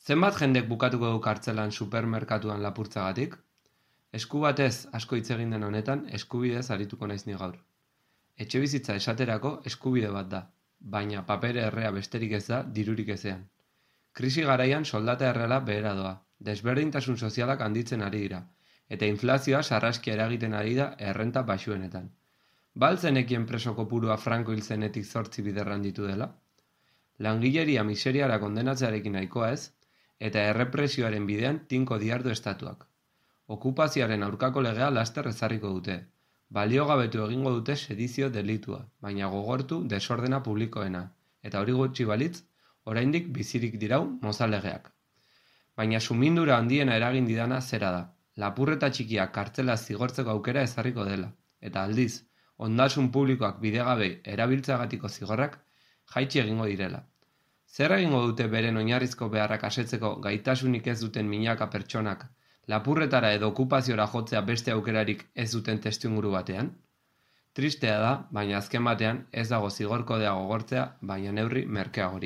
Zenbat jendek bukatuko du kartzelan supermerkatuan lapurtzagatik? Esku batez asko hitz egin den honetan, eskubidez arituko naiz ni gaur. Etxebizitza esaterako eskubide bat da, baina papere errea besterik ez da dirurik ezean. Krisi garaian soldata erreala behera doa, desberdintasun sozialak handitzen ari dira, eta inflazioa sarraskia eragiten ari da errenta baxuenetan. Baltzenekien preso kopurua Franco hil zenetik 8 biderran ditu dela? Langileria miseriara kondenatzearekin nahikoa ez, eta errepresioaren bidean tinko diardu estatuak. Okupazioaren aurkako legea laster ezarriko dute. Baliogabetu egingo dute sedizio delitua, baina gogortu desordena publikoena, eta hori gutxi balitz, oraindik bizirik dirau mozalegeak. Baina sumindura handiena eragin didana zera da. Lapurreta txikiak kartzela zigortzeko aukera ezarriko dela, eta aldiz, ondasun publikoak bidegabei erabiltzeagatiko zigorrak jaitsi egingo direla. Zer egingo dute beren oinarrizko beharrak asetzeko gaitasunik ez duten milaka pertsonak, lapurretara edo okupaziora jotzea beste aukerarik ez duten testuinguru batean? Tristea da, baina azken batean ez dago zigor kodea gogortzea, baina neurri merkeagorik.